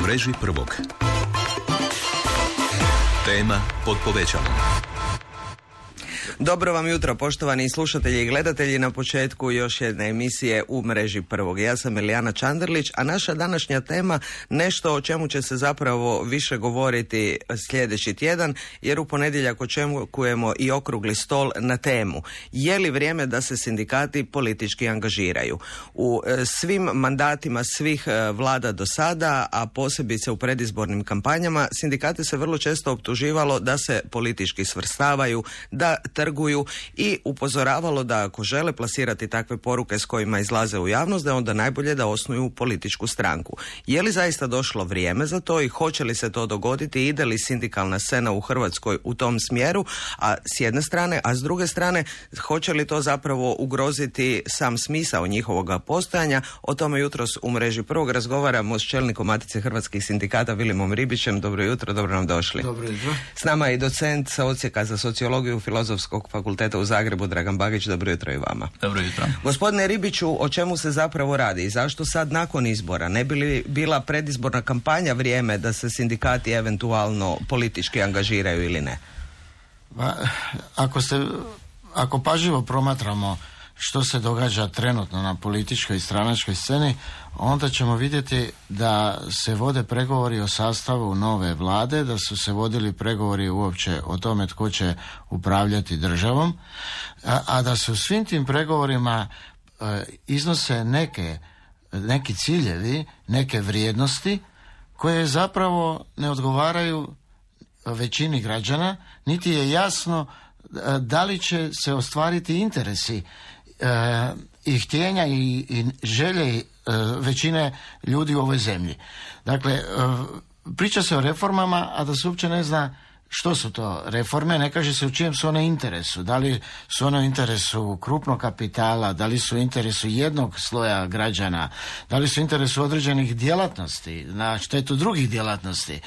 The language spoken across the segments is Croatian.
mreži prvog. Tema pod povećalom. Dobro vam jutro, poštovani slušatelji i gledatelji, na početku još jedne emisije u mreži prvog. Ja sam Elijana Čanderlić, a naša današnja tema nešto o čemu će se zapravo više govoriti sljedeći tjedan, jer u ponedjeljak očekujemo i okrugli stol na temu. Je li vrijeme da se sindikati politički angažiraju? U svim mandatima svih vlada do sada, a posebice u predizbornim kampanjama, sindikate se vrlo često optuživalo da se politički svrstavaju, da trguju i upozoravalo da ako žele plasirati takve poruke s kojima izlaze u javnost, da je onda najbolje da osnuju političku stranku. Je li zaista došlo vrijeme za to i hoće li se to dogoditi? Ide li sindikalna scena u Hrvatskoj u tom smjeru? A s jedne strane, a s druge strane, hoće li to zapravo ugroziti sam smisao njihovoga postojanja? O tome jutros u mreži prvog razgovaramo s čelnikom Matice hrvatskih sindikata Vilimom Ribićem. Dobro jutro, dobro nam došli. Dobro jutro. S nama je i docent sa odsjeka za sociologiju Filozofskog fakulteta u Zagrebu, Dragan Bagić. Dobro jutro i vama. Dobro jutro. Gospodine Ribiću, o čemu se zapravo radi i zašto sad nakon izbora? Ne bi li bila predizborna kampanja vrijeme da se sindikati eventualno politički angažiraju ili ne? Ako pažljivo promatramo što se događa trenutno na političkoj i stranačkoj sceni, onda ćemo vidjeti da se vode pregovori o sastavu nove vlade, da su se vodili pregovori uopće o tome tko će upravljati državom, a da se u svim tim pregovorima iznose neki ciljevi, neke vrijednosti koje zapravo ne odgovaraju većini građana, niti je jasno da li će se ostvariti interesi i htjenja i želje većine ljudi u ovoj zemlji. Dakle, priča se o reformama, a da se uopće ne zna što su to reforme, ne kaže se u čijem su one interesu. Da li su one u interesu krupnog kapitala, da li su u interesu jednog sloja građana, da li su u interesu određenih djelatnosti, na štetu drugih djelatnosti.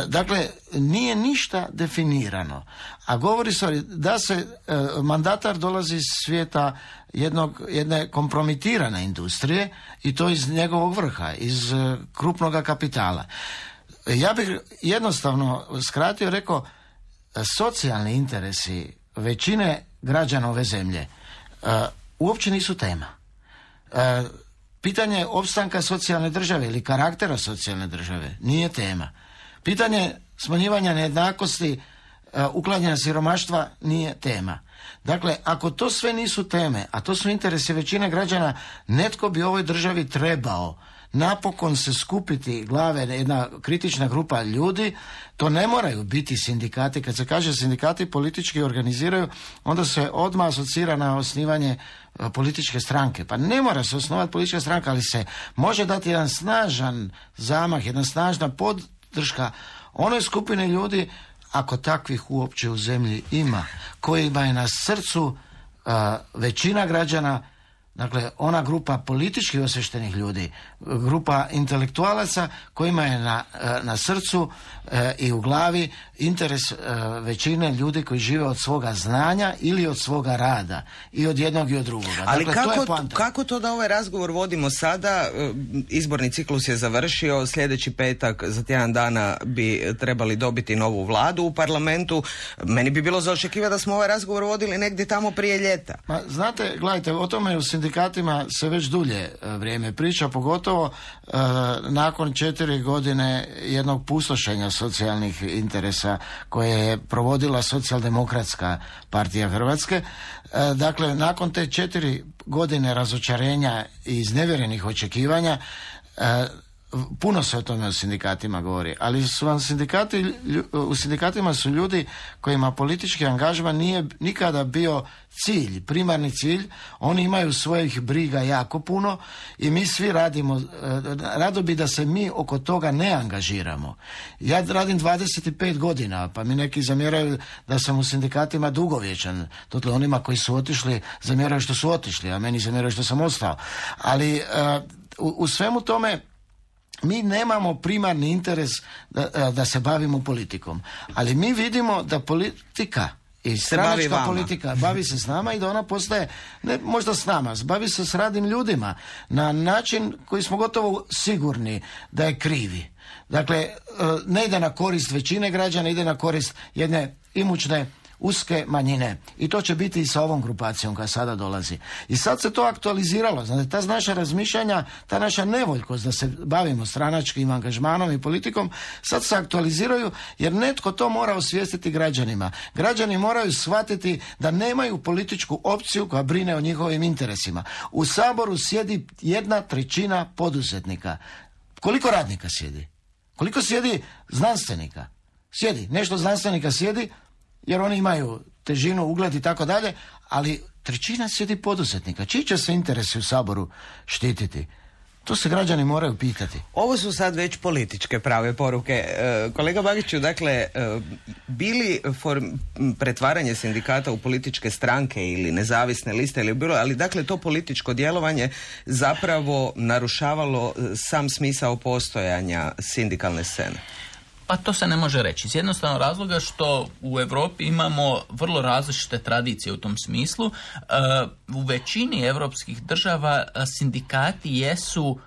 Dakle, nije ništa definirano. A govori se da se mandatar dolazi iz svijeta jedne kompromitirane industrije i to iz njegovog vrha, iz krupnog kapitala. Ja bih jednostavno skratio, rekao, socijalni interesi većine građana ove zemlje uopće nisu tema. Pitanje opstanka socijalne države ili karaktera socijalne države nije tema. Pitanje smanjivanja nejednakosti, uklanjanja siromaštva nije tema. Dakle, ako to sve nisu teme, a to su interesi većine građana, netko bi ovoj državi trebao napokon se skupiti glave, jedna kritična grupa ljudi. To ne moraju biti sindikati. Kad se kaže sindikati politički organiziraju, onda se odmah asocira na osnivanje političke stranke. Pa ne mora se osnovati politička stranka, ali se može dati jedan snažan zamah, jedna snažna podrška onoj skupine ljudi, ako takvih uopće u zemlji ima, kojima je na srcu većina građana. Dakle, ona grupa politički osviještenih ljudi, grupa intelektualaca kojima je na srcu i u glavi interes većine ljudi koji žive od svoga znanja ili od svoga rada, i od jednog i od drugoga. Ali dakle, kako to da ovaj razgovor vodimo sada? Izborni ciklus je završio, sljedeći petak za tjedan dana bi trebali dobiti novu vladu u parlamentu. Meni bi bilo za očekivati da smo ovaj razgovor vodili negdje tamo prije ljeta. Znate, gledajte, o tome u sindikatima se već dulje vrijeme priča, pogotovo nakon 4 godine jednog pustošenja socijalnih interesa koje je provodila Socijaldemokratska partija Hrvatske. Dakle, nakon te 4 godine razočarenja i iznevjerenih očekivanja, puno se o tome u sindikatima govori, ali su vam u sindikatima su ljudi kojima politički angažman nije nikada bio cilj, primarni cilj. Oni imaju svojih briga jako puno i mi svi radimo, rado bi da se mi oko toga ne angažiramo. Ja radim 25 godina, pa mi neki zamjeraju da sam u sindikatima dugovječan. Dakle, onima koji su otišli zamjeraju što su otišli, a meni zamjeraju što sam ostao. Ali u svemu tome mi nemamo primarni interes da se bavimo politikom, ali mi vidimo da politika i stranačka politika bavi se s nama i da ona postaje, ne možda s nama, bavi se s radnim ljudima na način koji smo gotovo sigurni da je krivi. Dakle, ne ide na korist većine građana, ide na korist jedne imućne uske manjine. I to će biti i sa ovom grupacijom koja sada dolazi. I sad se to aktualiziralo. Znate, ta naša razmišljanja, ta naša nevoljkost da se bavimo stranačkim angažmanom i politikom, sad se aktualiziraju jer netko to mora osvijestiti građanima. Građani moraju shvatiti da nemaju političku opciju koja brine o njihovim interesima. U Saboru sjedi 1/3 poduzetnika. Koliko radnika sjedi? Koliko sjedi znanstvenika? Sjedi. Nešto znanstvenika sjedi jer oni imaju težinu, ugled i tako dalje, ali 1/3 sjedi poduzetnika. Čiji će se interesi u Saboru štititi? To se građani moraju pitati. Ovo su sad već političke prave poruke. Kolega Bagiću, dakle, bili pretvaranje sindikata u političke stranke ili nezavisne liste ili bilo, ali dakle to političko djelovanje zapravo narušavalo sam smisao postojanja sindikalne scene? Pa to se ne može reći. Iz jednostavnog razloga što u Europi imamo vrlo različite tradicije u tom smislu. U većini europskih država sindikati jesu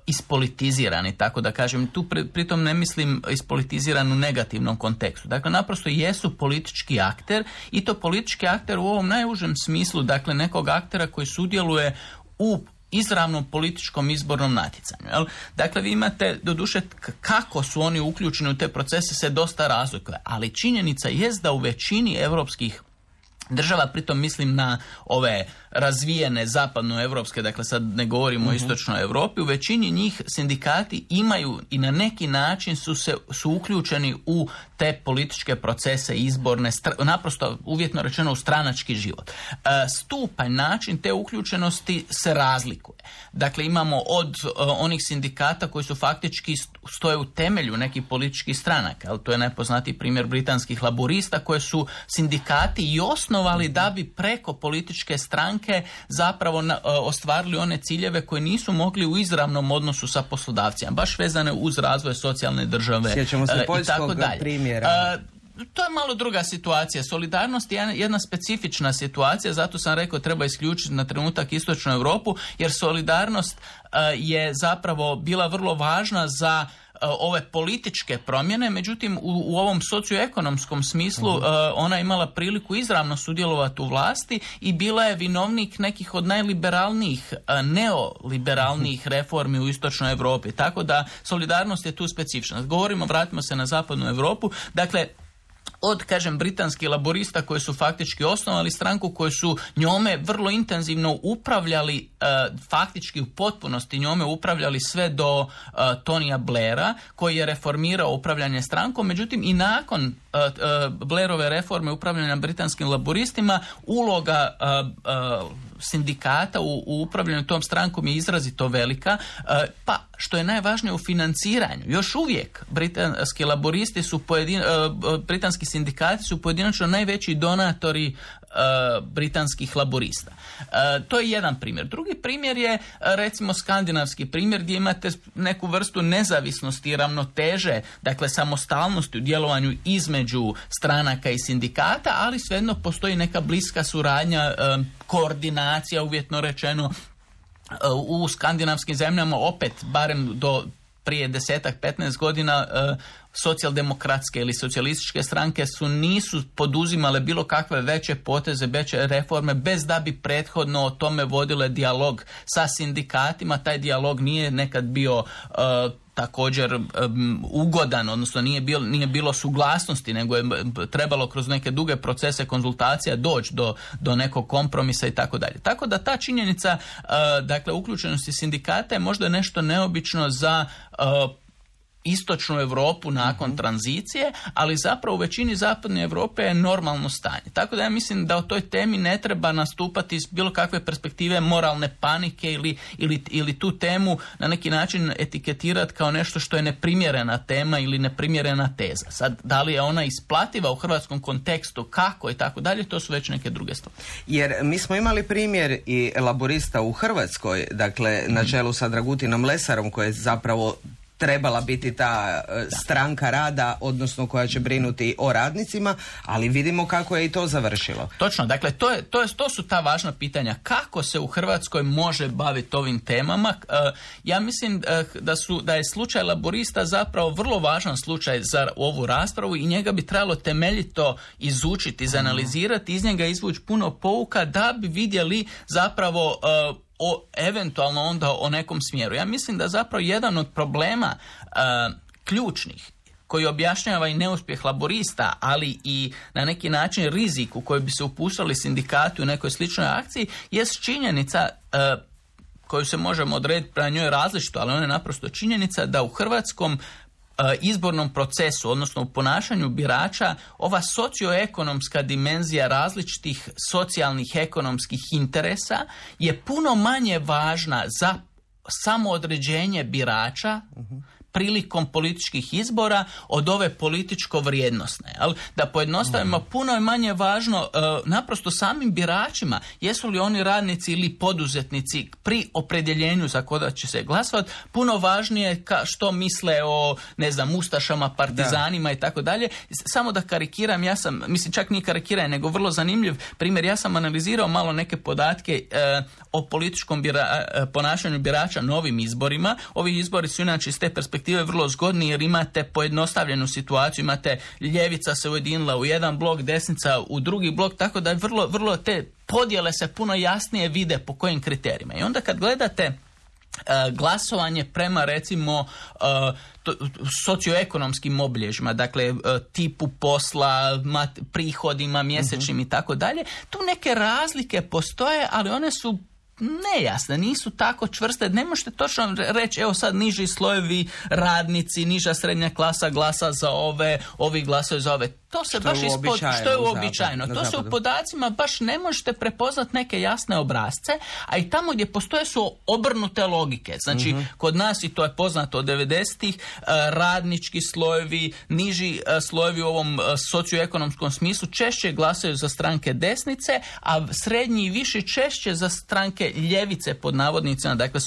ispolitizirani, tako da kažem. Tu pritom ne mislim ispolitiziran u negativnom kontekstu. Dakle, naprosto jesu politički akter i to politički akter u ovom najužem smislu, dakle nekog aktera koji sudjeluje u izravnom političkom izbornom natjecanju. Jel? Dakle, vi imate, doduše, kako su oni uključeni u te procese se dosta razlikuje, ali činjenica jest da u većini europskih država, pritom mislim na ove razvijene zapadnoevropske, dakle sad ne govorimo o istočnoj Europi, u većini njih sindikati imaju i na neki način su uključeni u te političke procese izborne, naprosto uvjetno rečeno u stranački život. Stupanj, način te uključenosti se razlikuje. Dakle, imamo od onih sindikata koji su faktički stoje u temelju nekih političkih stranaka, ali to je najpoznatiji primjer britanskih laborista koje su sindikati i osnovali da bi preko političke stranke zapravo ostvarili one ciljeve koje nisu mogli u izravnom odnosu sa poslodavcima, baš vezane uz razvoj socijalne države. Sjećamo se poljskog primjera. To je malo druga situacija. Solidarnost je jedna specifična situacija, zato sam rekao treba isključiti na trenutak istočnu Europu, jer solidarnost je zapravo bila vrlo važna za ove političke promjene, međutim u ovom socioekonomskom smislu ona je imala priliku izravno sudjelovati u vlasti i bila je vinovnik nekih od najliberalnijih, neoliberalnijih reformi u istočnoj Europi. Tako da solidarnost je tu specifična. Vratimo se na zapadnu Europu. Dakle, od, kažem, britanskih laborista koji su faktički osnovali stranku, koji su njome vrlo intenzivno upravljali, faktički u potpunosti njome upravljali sve do Tonija Blaira, koji je reformirao upravljanje strankom. Međutim, i nakon Blairove reforme upravljanja britanskim laboristima, uloga sindikata u upravljanju tom strankom je izrazito velika, pa što je najvažnije u financiranju. Još uvijek britanski laboristi su britanski sindikati su pojedinačno najveći donatori britanskih laborista. To je jedan primjer. Drugi primjer je recimo skandinavski primjer gdje imate neku vrstu nezavisnosti i ravnoteže, dakle samostalnosti u djelovanju između stranaka i sindikata, ali svejedno postoji neka bliska suradnja, koordinacija, uvjetno rečeno. U skandinavskim zemljama opet, barem do prije 10-15 godina, socijaldemokratske ili socijalističke stranke nisu poduzimale bilo kakve veće poteze, veće reforme bez da bi prethodno o tome vodile dijalog sa sindikatima. Taj dijalog nije nekad bio također ugodan, odnosno nije bilo suglasnosti, nego je trebalo kroz neke duge procese konzultacija doći do nekog kompromisa i tako dalje. Tako da ta činjenica, dakle, uključenosti sindikata je možda nešto neobično za istočnu Europu nakon tranzicije, ali zapravo u većini zapadne Europe je normalno stanje. Tako da ja mislim da o toj temi ne treba nastupati iz bilo kakve perspektive moralne panike ili tu temu na neki način etiketirati kao nešto što je neprimjerena tema ili neprimjerena teza. Sad, da li je ona isplativa u hrvatskom kontekstu, kako i tako dalje, to su već neke druge stvari. Jer mi smo imali primjer i laborista u Hrvatskoj, dakle na čelu sa Dragutinom Lesarom, koji je zapravo trebala biti ta stranka rada, odnosno koja će brinuti o radnicima, ali vidimo kako je i to završilo. Točno, dakle to su ta važna pitanja. Kako se u Hrvatskoj može baviti ovim temama? Ja mislim da je slučaj Laburista zapravo vrlo važan slučaj za ovu raspravu i njega bi trebalo temeljito izučiti, izanalizirati, iz njega izvući puno pouka da bi vidjeli zapravo eventualno onda o nekom smjeru. Ja mislim da zapravo jedan od problema ključnih koji objašnjava i neuspjeh Laburista, ali i na neki način rizik u koji bi se upustili sindikati u nekoj sličnoj akciji, jest činjenica koju se možemo odrediti prema njoj različito, ali ona je naprosto činjenica da u hrvatskom izbornom procesu, odnosno u ponašanju birača, ova socioekonomska dimenzija različitih socijalnih ekonomskih interesa je puno manje važna za samoodređenje birača prilikom političkih izbora od ove političko-vrijednosne. Da pojednostavimo, puno je manje važno naprosto samim biračima, jesu li oni radnici ili poduzetnici pri opredjeljenju za koga će se glasovati, puno važnije što misle o, ustašama, partizanima i tako dalje. Samo da karikiram, čak nije karikiranje, nego vrlo zanimljiv primjer, ja sam analizirao malo neke podatke o političkom ponašanju birača na ovim izborima. Ovi izbori su inače iz te perspektive vrlo zgodni jer imate pojednostavljenu situaciju, imate ljevica se ujedinila u jedan blok, desnica u drugi blok, tako da je vrlo te podjele se puno jasnije vide po kojim kriterijima. I onda kad gledate glasovanje prema recimo socioekonomskim obilježjima, dakle tipu posla, prihodima mjesečnim i tako dalje, tu neke razlike postoje, ali one su nejasne, nisu tako čvrste, ne možete točno reći, evo sad niži slojevi radnici, niža srednja klasa glasa za ove, ovi glasaju za ove. To se baš što je uobičajeno. To se u podacima baš ne možete prepoznati neke jasne obrazce, a i tamo gdje postoje su obrnute logike. Znači, kod nas, i to je poznato od 90-ih, radnički slojevi, niži slojevi u ovom socioekonomskom smislu češće glasaju za stranke desnice, a srednji i viši češće za stranke ljevice pod navodnicima, dakle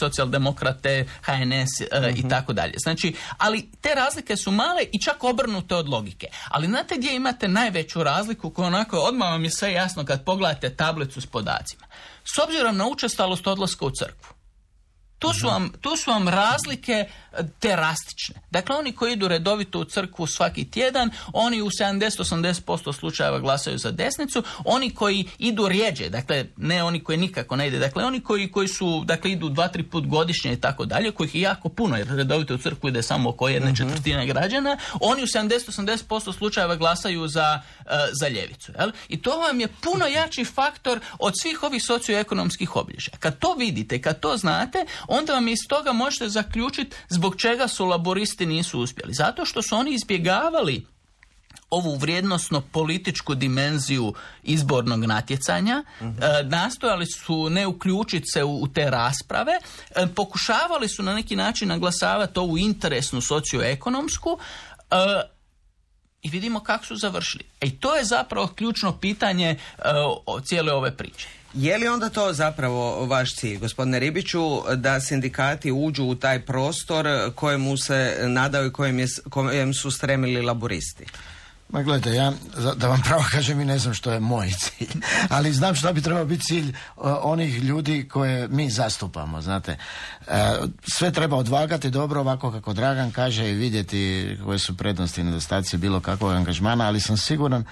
socijaldemokrate, HNS i tako dalje. Znači, ali te razlike su male i čak obrnute od logike. Ali znate gdje imate najveću razliku koja onako odmah vam je sve jasno kad pogledate tablicu s podacima. S obzirom na učestalost odlaska u crkvu. Tu su vam razlike drastične. Dakle, oni koji idu redovito u crkvu svaki tjedan, oni u 70-80% slučajeva glasaju za desnicu. Oni koji idu rjeđe, dakle, ne oni koji nikako ne ide, dakle, oni koji su, dakle, idu 2-3 put godišnje i tako dalje, kojih je jako puno, jer redovito u crkvu ide samo oko 1/4 građana, oni u 70-80% slučajeva glasaju za ljevicu. Jel? I to vam je puno jači faktor od svih ovih socioekonomskih obilježja. Kad to vidite, kad to znate, onda vam iz toga možete zaključiti zbog čega su laburisti nisu uspjeli. Zato što su oni izbjegavali ovu vrijednosno političku dimenziju izbornog natjecanja, nastojali su ne uključiti se u te rasprave, pokušavali su na neki način naglasavati ovu interesnu socioekonomsku i vidimo kako su završili. I to je zapravo ključno pitanje cijele ove priče. Je li onda to zapravo vaš cilj, gospodine Ribiću, da sindikati uđu u taj prostor kojemu se nadaju i kojem su stremili laburisti? Ma gledajte, ja da vam pravo kažem i ne znam što je moj cilj, ali znam što bi trebao biti cilj onih ljudi koje mi zastupamo, znate. Sve treba odvagati dobro, ovako kako Dragan kaže, i vidjeti koje su prednosti i nedostaci bilo kakvog angažmana, ali sam siguran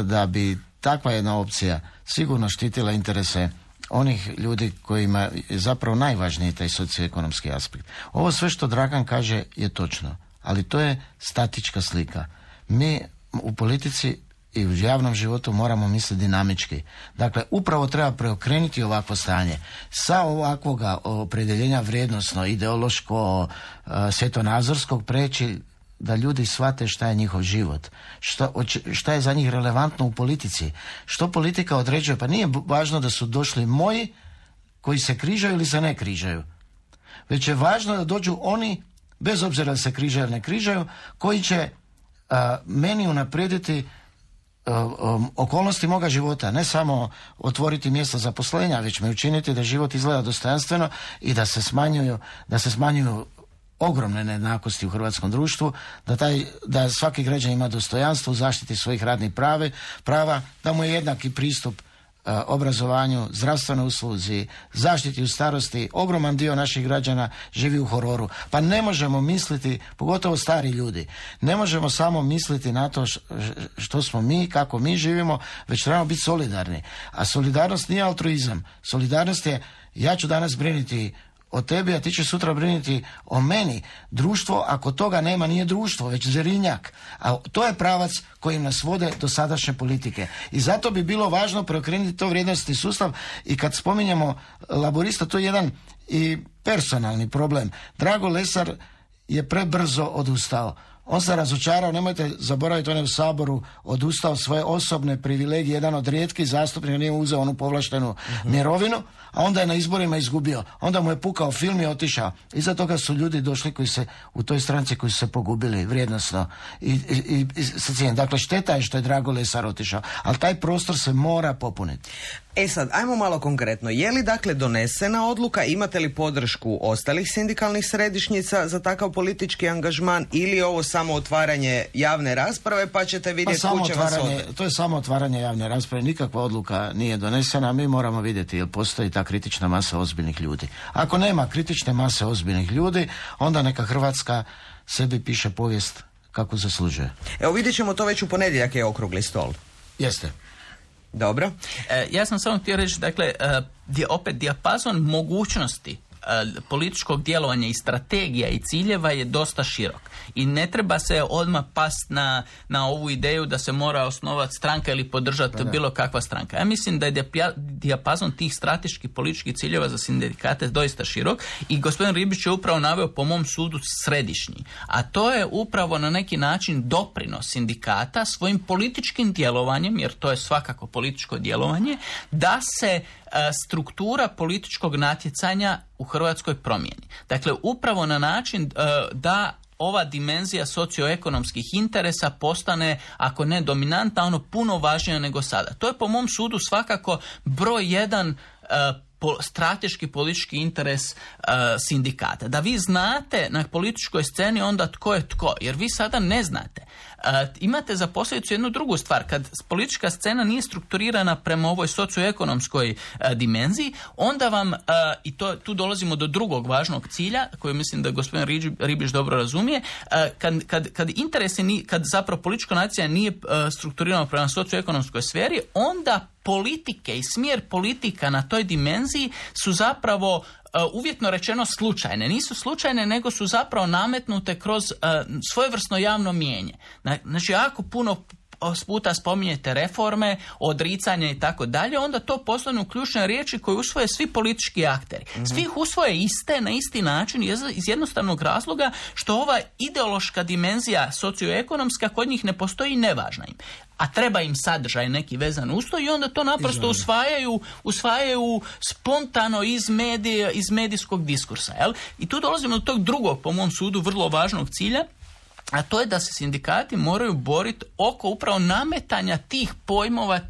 da bi takva jedna opcija sigurno štitila interese onih ljudi kojima je zapravo najvažniji taj socioekonomski aspekt. Ovo sve što Dragan kaže je točno, ali to je statička slika. Mi u politici i u javnom životu moramo misliti dinamički. Dakle, upravo treba preokrenuti ovakvo stanje. Sa ovakvoga opredjeljenja vrijednosno, ideološko, svjetonazorskog preći da ljudi shvate šta je njihov život, šta je za njih relevantno u politici, što politika određuje. Pa nije važno da su došli moji koji se križaju ili se ne križaju, već je važno da dođu oni, bez obzira da se križaju ili ne križaju, koji će meni unaprijediti okolnosti moga života, ne samo otvoriti mjesta zaposlenja, već me učiniti da život izgleda dostojanstveno i da se smanjuju ogromne nejednakosti u hrvatskom društvu, da svaki građan ima dostojanstvo u zaštiti svojih radnih prava, da mu je jednaki pristup obrazovanju, zdravstvenoj usluzi, zaštiti u starosti. Ogroman dio naših građana živi u hororu. Pa ne možemo misliti, pogotovo stari ljudi, ne možemo samo misliti na to što smo mi, kako mi živimo, već trebamo biti solidarni. A solidarnost nije altruizam. Solidarnost je, ja ću danas brinuti o tebi, a ti će sutra brinuti o meni. Društvo, ako toga nema, nije društvo, već zerinjak. A to je pravac kojim nas vode do sadašnje politike. I zato bi bilo važno preokrenuti to vrijednostni sustav. I kad spominjemo laborista, to je jedan i personalni problem. Drago Lesar je prebrzo odustao. On se razočarao, nemojte zaboraviti, on je u Saboru odustao svoje osobne privilegije, jedan od rijetkih zastupnika, nije uzeo onu povlaštenu mirovinu, a onda je na izborima izgubio. Onda mu je pukao film i otišao. Iza toga su ljudi došli koji se u toj stranci koji su se pogubili vrijednosno i sa cijenom. Dakle, šteta je što je Drago Lesar otišao, ali taj prostor se mora popuniti. Sad, ajmo malo konkretno. Je li dakle donesena odluka, imate li podršku ostalih sindikalnih središnjica za takav politički angažman ili je ovo samo otvaranje javne rasprave pa ćete vidjeti kuće vas odvesti? To je samo otvaranje javne rasprave, nikakva odluka nije donesena, mi moramo vidjeti jel postoji ta kritična masa ozbiljnih ljudi. Ako nema kritične mase ozbiljnih ljudi, onda neka Hrvatska sebi piše povijest kako zaslužuje. Evo vidjet ćemo to već u ponedjeljak, je okrugli stol. Jeste. Dobro. Ja sam samo htio reći, dakle, opet dijapazon mogućnosti političkog djelovanja i strategija i ciljeva je dosta širok. I ne treba se odmah past na ovu ideju da se mora osnovati stranka ili podržati bilo kakva stranka. Ja mislim da je dijapazon tih strateških političkih ciljeva za sindikate doista širok i gospodin Ribić je upravo naveo po mom sudu središnji. A to je upravo na neki način doprinos sindikata svojim političkim djelovanjem, jer to je svakako političko djelovanje, da se struktura političkog natjecanja u Hrvatskoj promijeni. Dakle, upravo na način da ova dimenzija socioekonomskih interesa postane, ako ne dominantna, ono puno važnija nego sada. To je po mom sudu svakako broj jedan strateški politički interes sindikata. Da vi znate na političkoj sceni onda tko je tko, jer vi sada ne znate. Imate za posljedicu jednu drugu stvar. Kad politička scena nije strukturirana prema ovoj socioekonomskoj dimenziji, onda vam, i tu dolazimo do drugog važnog cilja, koji mislim da gospodin Ribić dobro razumije, kad zapravo političko nacija nije strukturirano prema socioekonomskoj sferi, onda politike i smjer politika na toj dimenziji su zapravo uvjetno rečeno slučajne. Nisu slučajne, nego su zapravo nametnute kroz svojevrsno javno mijenje. Znači, jako puno puta spominjete reforme, odricanje i tako dalje, onda to postanu ključne riječi koje usvoje svi politički akteri. Svi ih usvoje iste, na isti način, iz jednostavnog razloga što ova ideološka dimenzija socioekonomska kod njih ne postoji i nevažna im. A treba im sadržaj neki vezan uz to i onda to naprosto usvajaju spontano iz medijskog diskursa. Jel? I tu dolazimo do tog drugog, po mom sudu, vrlo važnog cilja, a to je da se sindikati moraju boriti oko upravo nametanja tih pojmova,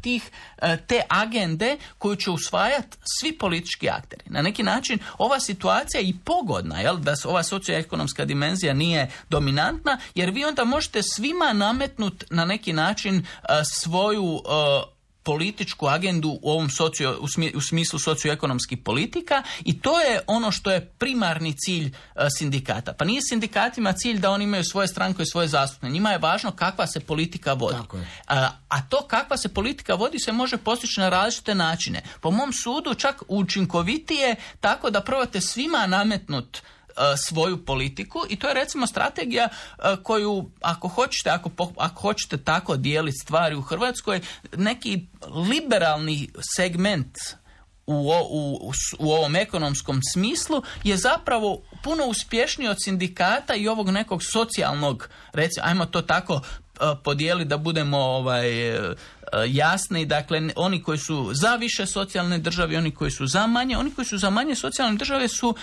te agende koju će usvajati svi politički akteri. Na neki način ova situacija je i pogodna, jel, da ova socioekonomska dimenzija nije dominantna, jer vi onda možete svima nametnuti na neki način svoju političku agendu u ovom u smislu socioekonomskih politika i to je ono što je primarni cilj sindikata. Pa nije sindikatima cilj da oni imaju svoje stranke i svoje zastupnike. Njima je važno kakva se politika vodi. A to kakva se politika vodi se može postići na različite načine. Po mom sudu čak učinkovitije tako da probate svima nametnuti svoju politiku i to je recimo strategija koju ako hoćete tako dijeliti stvari u Hrvatskoj, neki liberalni segment u ovom ekonomskom smislu je zapravo puno uspješniji od sindikata i ovog nekog socijalnog, recimo, ajmo to tako podijeli da budemo jasni, dakle oni koji su za više socijalne države, oni koji su za manje, oni koji su za manje socijalne države su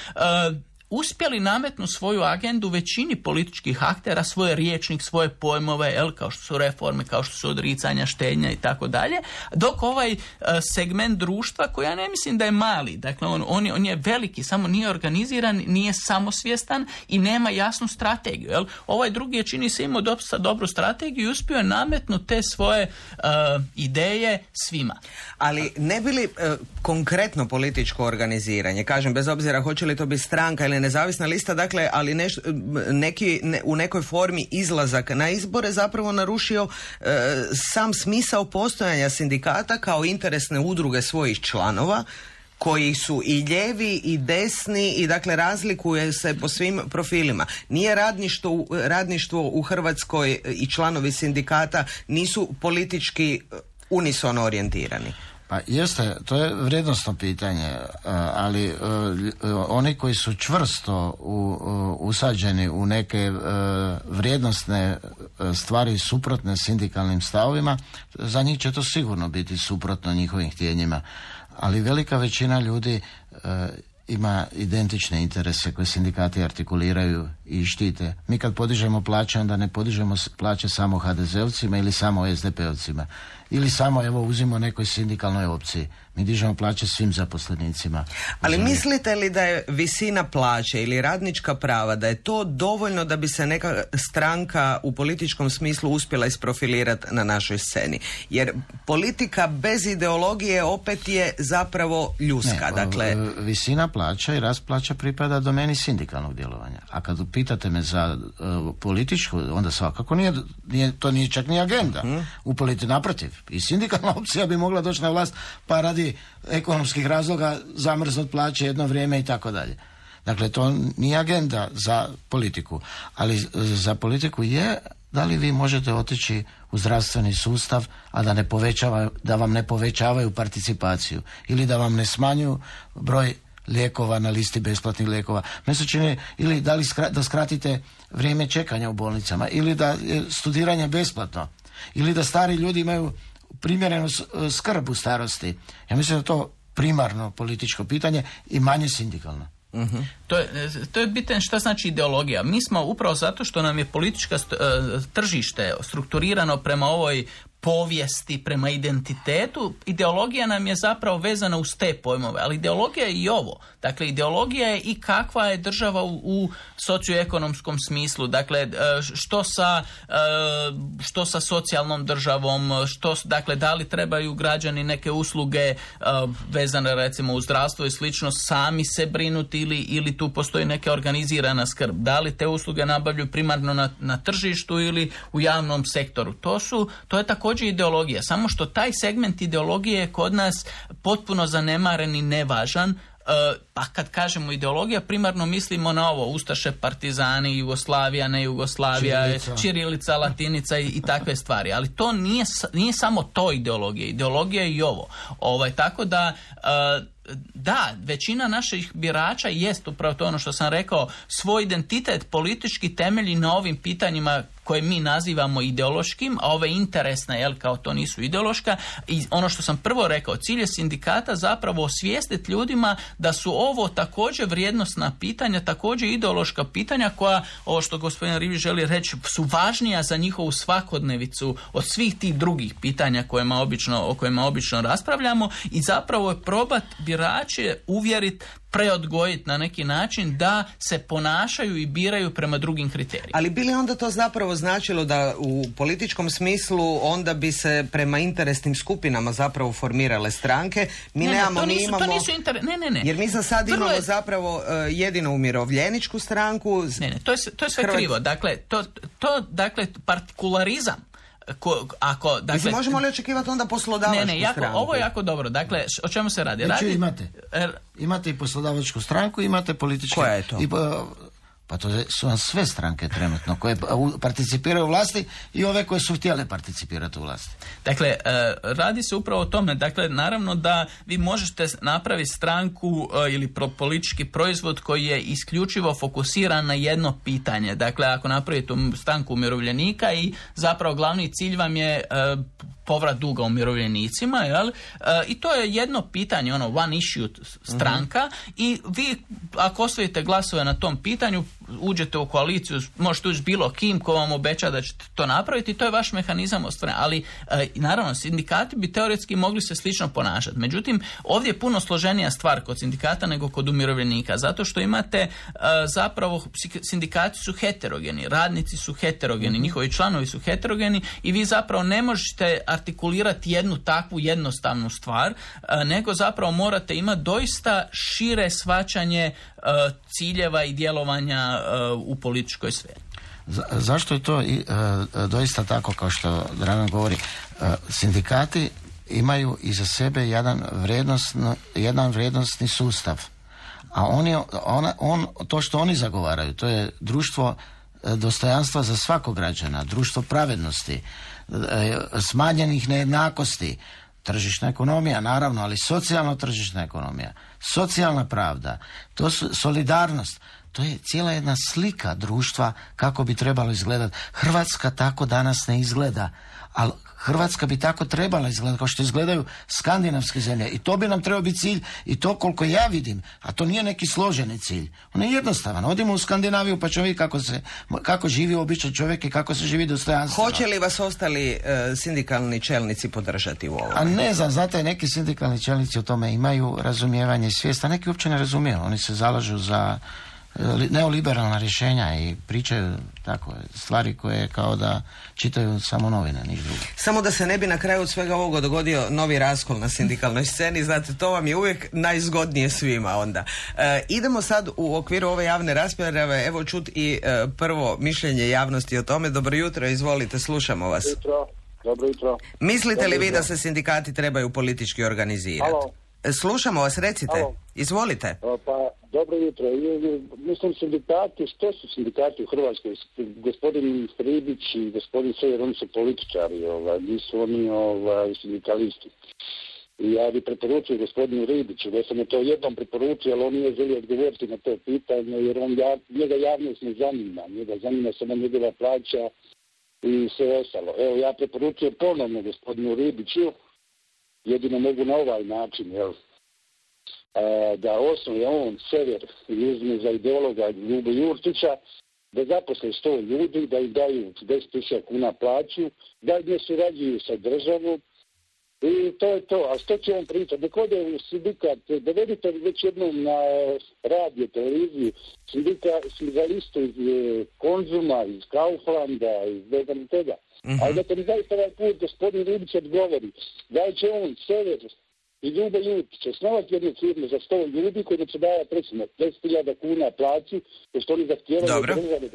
uspjeli nametnu svoju agendu većini političkih aktera, svoje riječnik, svoje pojmove, kao što su reforme, kao što su odricanja, štednja i tako dalje, dok ovaj segment društva, koji ja ne mislim da je mali, dakle on je veliki, samo nije organiziran, nije samosvjestan i nema jasnu strategiju. Ovaj drugi je, čini se, imao dosta dobru strategiju i uspio je nametnuti te svoje ideje svima. Ali ne bi li konkretno političko organiziranje, kažem, bez obzira hoće li to biti stranka ili nezavisna lista, dakle, ali u nekoj formi izlazak na izbore zapravo narušio sam smisao postojanja sindikata kao interesne udruge svojih članova, koji su i lijevi i desni i dakle razlikuje se po svim profilima. Nije radništvo u Hrvatskoj i članovi sindikata nisu politički unisono orijentirani. Pa jeste, to je vrijednosno pitanje, ali oni koji su čvrsto usađeni u neke vrijednosne stvari suprotne sindikalnim stavovima, za njih će to sigurno biti suprotno njihovim htjenjima. Ali velika većina ljudi ima identične interese koje sindikati artikuliraju i štite. Mi kad podižemo plaće, onda ne podižemo plaće samo HDZ-ovcima ili samo SDP-ovcima. Ili samo, evo, uzimo nekoj sindikalnoj opciji. Mi dižemo plaće svim zaposlenicima. Ali mislite li da je visina plaće ili radnička prava, da je to dovoljno da bi se neka stranka u političkom smislu uspjela isprofilirati na našoj sceni? Jer politika bez ideologije opet je zapravo ljuska. Dakle, visina plaća i rast plaća pripada domeni sindikalnog djelovanja. A kad pitate me za političku, onda svakako to nije čak ni agenda. U politici, naprotiv. I sindikalna opcija bi mogla doći na vlast pa radi ekonomskih razloga zamrznut plaće jedno vrijeme i tako dalje. Dakle, to nije agenda za politiku, ali za politiku je da li vi možete otići u zdravstveni sustav, a da vam ne povećavaju participaciju ili da vam ne smanjuju broj lijekova na listi besplatnih lijekova. Meni se čini, ili da skratite vrijeme čekanja u bolnicama, ili da je studiranje besplatno, ili da stari ljudi imaju primjerenu skrb u starosti. Ja mislim da to primarno političko pitanje i manje sindikalno. Uh-huh. To je bitno šta znači ideologija. Mi smo upravo zato što nam je politička tržište strukturirano prema ovoj povijesti, prema identitetu, ideologija nam je zapravo vezana uz te pojmove, ali ideologija je i ovo. Dakle, ideologija je i kakva je država u socioekonomskom smislu. Dakle, što sa socijalnom državom, dakle, da li trebaju građani neke usluge vezane recimo u zdravstvo i slično sami se brinuti ili tu postoji neka organizirana skrb. Da li te usluge nabavljaju primarno na tržištu ili u javnom sektoru. To je također ideologija, samo što taj segment ideologije je kod nas potpuno zanemaren i nevažan. Pa kad kažemo ideologija, primarno mislimo na ovo, ustaše, partizani, Jugoslavija, ne Jugoslavija, ćirilica, latinica i takve stvari. Ali to nije samo to ideologija. Ideologija je i ovo. Tako da da, većina naših birača jest upravo to ono što sam rekao, svoj identitet politički temelji na ovim pitanjima koje mi nazivamo ideološkim, a ove interesne, kao to nisu ideološka. I ono što sam prvo rekao, cilj je sindikata zapravo osvijestiti ljudima da su ovo također vrijednosna pitanja, također ideološka pitanja koja, ovo što gospodin Rivić želi reći, su važnija za njihovu svakodnevicu od svih tih drugih pitanja o kojima obično raspravljamo i zapravo je probat birače uvjeriti, preodgojiti na neki način da se ponašaju i biraju prema drugim kriterijima. Ali bi li onda to zapravo značilo da u političkom smislu onda bi se prema interesnim skupinama zapravo formirale stranke? Ne. Jer mi za sad imamo zapravo jedino umirovljeničku stranku. Ne, to je sve krivo. Dakle, to partikularizam. Dakle, možemo li očekivati onda poslodavačku stranku? Ovo je jako dobro. Dakle, o čemu se radi? Imate i poslodavačku stranku, imate političke... Koja je to? Pa to su vam sve stranke trenutno koje participiraju u vlasti i ove koje su htjele participirati u vlasti. Dakle, radi se upravo o tome. Dakle, naravno da vi možete napraviti stranku ili politički proizvod koji je isključivo fokusiran na jedno pitanje. Dakle, ako napravite stranku umirovljenika i zapravo glavni cilj vam je povrat duga umirovljenicima, jel? I to je jedno pitanje, one issue stranka, i vi ako osvojite glasove na tom pitanju, uđete u koaliciju, možete ući bilo kim ko vam obeća da ćete to napraviti, to je vaš mehanizam ostvarenja. Ali naravno, sindikati bi teoretski mogli se slično ponašati. Međutim, ovdje je puno složenija stvar kod sindikata nego kod umirovljenika, zato što imate zapravo, sindikati su heterogeni, radnici su heterogeni, njihovi članovi su heterogeni i vi zapravo ne možete artikulirati jednu takvu jednostavnu stvar, nego zapravo morate imati doista šire shvaćanje ciljeva i djelovanja u političkoj sferi. Zašto je to doista tako kao što Dragan govori? Sindikati imaju iza sebe jedan vrijednosni sustav, a to što oni zagovaraju, to je društvo dostojanstva za svakog građana, društvo pravednosti, smanjenih nejednakosti, tržišna ekonomija naravno, ali socijalno tržišna ekonomija, socijalna pravda, to su solidarnost. To je cijela jedna slika društva kako bi trebalo izgledati. Hrvatska tako danas ne izgleda, ali Hrvatska bi tako trebala izgledati kao što izgledaju skandinavske zemlje. I to bi nam trebao biti cilj, i to koliko ja vidim, a to nije neki složeni cilj. On je jednostavan. Odimo u Skandinaviju pa ćemo vidjeti kako živi običan čovjek i kako se živi dostojanstveno. Hoće li vas ostali sindikalni čelnici podržati u ovom? A ne znam, znate, neki sindikalni čelnici o tome imaju razumijevanje i svijest, a neki uopće ne razumiju. Oni se zalažu za neoliberalna rješenja i pričaju tako stvari koje kao da čitaju samo novine, niš drugo. Samo da se ne bi na kraju od svega ovoga dogodio novi raskol na sindikalnoj sceni, znate, to vam je uvijek najzgodnije svima onda. Idemo sad u okviru ove javne rasprave, evo čut i prvo mišljenje javnosti o tome. Dobro jutro, izvolite, slušamo vas. Dobro jutro. Mislite li vi da se sindikati trebaju politički organizirati? Halo. Slušamo vas, recite. Halo. Izvolite. Pa, dobro jutro. Mislim, sindikati, što su sindikati u Hrvatskoj? Gospodin Ribić i gospodin Sejer, oni su političari, nisu oni sindikalisti. I ja bih preporučio gospodinu Ribiću, da sam je to jednom preporučio, ali on nije želio odgovoriti na to pitanje, jer njega javnost ne zanima. Njega zanima samo njegova plaća i sve ostalo. Evo, ja preporučujem ponovno gospodinu Ribiću, jedino mogu na ovaj način, da osnuje on Sever i uzme za ideologa Ljubu Jurčića, da zaposle 100 ljudi, da im daju 10.000 kuna plaću, da ne surađuju sa državom, i to je to. A što će on pričati? Dok ode u sindikat, dovedite već jednom na radio, televiziju, sindikalistu iz Konzuma, iz Kauflanda, iz vedam toga. Ali da mi zaista ovaj put gospodin Ribić odgovori, da će on Sever i Ljuba Jurčića osnovati jednu firmu za 100 ljudi koji će davati recimo 10.000 kuna plaću, jer što oni zahtijevaju Dobro. države.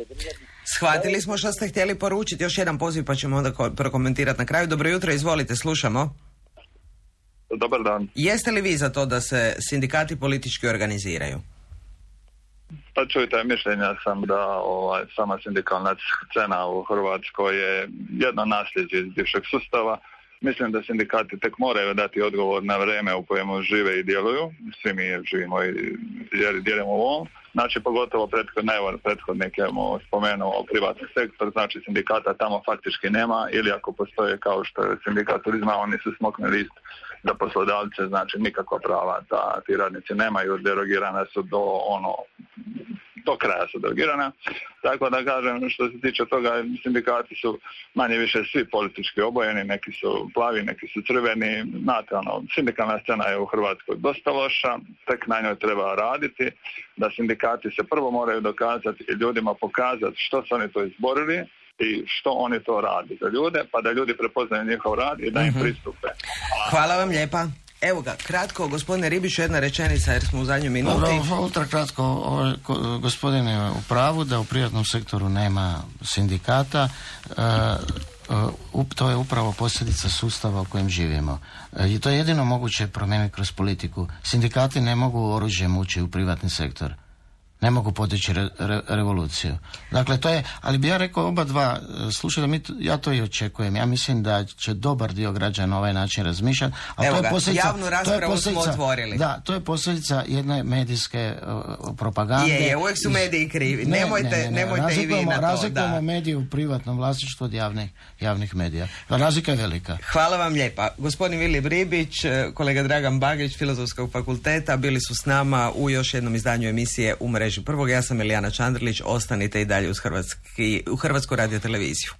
Shvatili smo što ste htjeli poručiti. Još jedan poziv pa ćemo onda prokomentirati na kraju. Dobro jutro, izvolite, slušamo. Dobar dan. Jeste li vi za to da se sindikati politički organiziraju? Pa čujte, mišljenja sam da sama sindikalna scena u Hrvatskoj je jedno nasljeđe iz bivšeg sustava. Mislim da sindikati tek moraju dati odgovor na vrijeme u kojemu žive i djeluju. Svi mi živimo i djelujemo u ovom. Znači, pogotovo prethodnik je spomenuo privatni sektor, znači sindikata tamo faktički nema, ili ako postoje kao što je sindikat turizma, oni su smoknuli list za poslodavce, znači nikakva prava da ti radnici nemaju, derogirana su do kraja su derogirana. Tako da kažem, što se tiče toga, sindikati su manje više svi politički obojeni, neki su plavi, neki su crveni. Znate, sindikalna scena je u Hrvatskoj dosta loša, tek na njoj treba raditi, da sindikati se prvo moraju dokazati i ljudima pokazati što su oni to izborili i što oni to radi za ljude, pa da ljudi prepoznaju njihov rad i da im pristupe. Hvala vam lijepa. Evo ga, kratko, gospodine Ribiću, jedna rečenica jer smo u zadnjoj minuti. Ultra kratko, gospodin je u pravu da u privatnom sektoru nema sindikata. To je upravo posljedica sustava u kojem živimo. I to je jedino moguće promijeniti kroz politiku. Sindikati ne mogu oružjem ući u privatni sektor. ne mogu potići revoluciju. Dakle, to je, ali bi ja rekao oba dva, slušajte, ja to i očekujem. Ja mislim da će dobar dio građana na ovaj način razmišljati. Evo ga, javnu raspravu smo otvorili. Da, to je posljedica jedne medijske propagande. Je, uvijek su mediji krivi. Nemojte i vi na to. Razlikujemo medije u privatnom vlasništvu od javnih medija. Razlika je velika. Hvala vam lijepa. Gospodin Vili Bribić, kolega Dragan Bagić, Filozofskog fakulteta, bili su s nama u još jednom izdanju emisije U mreži prvog. Ja sam Elijana Čandrlić. Ostanite i dalje uz Hrvatsku radioteleviziju.